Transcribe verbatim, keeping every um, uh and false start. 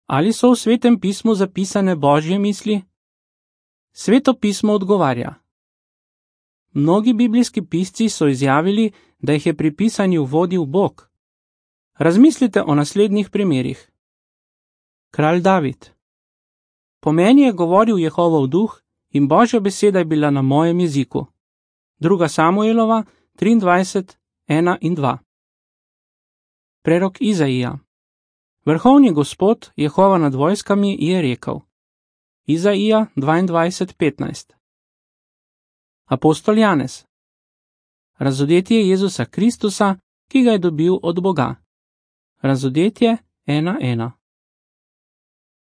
Ali so v Svetem pismu zapisane Božje misli? Sveto pismo odgovarja. Mnogi biblijski pisci so izjavili, da jih je pri pisanju vodil Bog. Razmislite o naslednjih primerih. Kralj David. Po meni je govoril Jehovov duh in Božja beseda je bila na mojem jeziku. Druga Samuelova, triindvajset, ena in dva. Prerok Izaija. Vrhovni Gospod, Jehova nad vojskami, je rekel. Izaija dvaindvajset, petnajst. Apostol Janez. Razodetje Jezusa Kristusa, ki ga je dobil od Boga. Razodetje ena ena.